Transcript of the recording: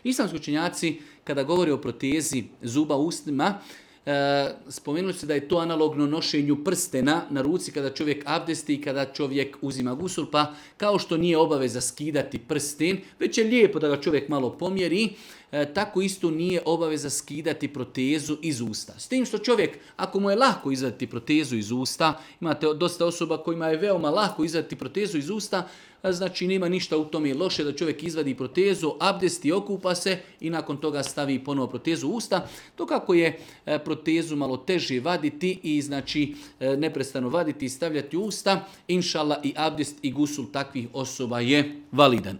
Islamski učenjaci, kada govori o protezi zuba u ustima, spomenuli su da je to analogno nošenju prstena na ruci kada čovjek abdesti i kada čovjek uzima gusul, pa kao što nije obaveza skidati prsten, već je lijepo da ga čovjek malo pomjeri, tako isto nije obaveza skidati protezu iz usta. S tim što čovjek, ako mu je lako izvaditi protezu iz usta, imate dosta osoba kojima je veoma lako izvaditi protezu iz usta, znači nema ništa u tome loše da čovjek izvadi protezu, abdesti, okupa se i nakon toga stavi ponovo protezu u usta. To kako je protezu malo teže vaditi i znači neprestano vaditi i stavljati u usta, inšallah i abdest i gusul takvih osoba je validan.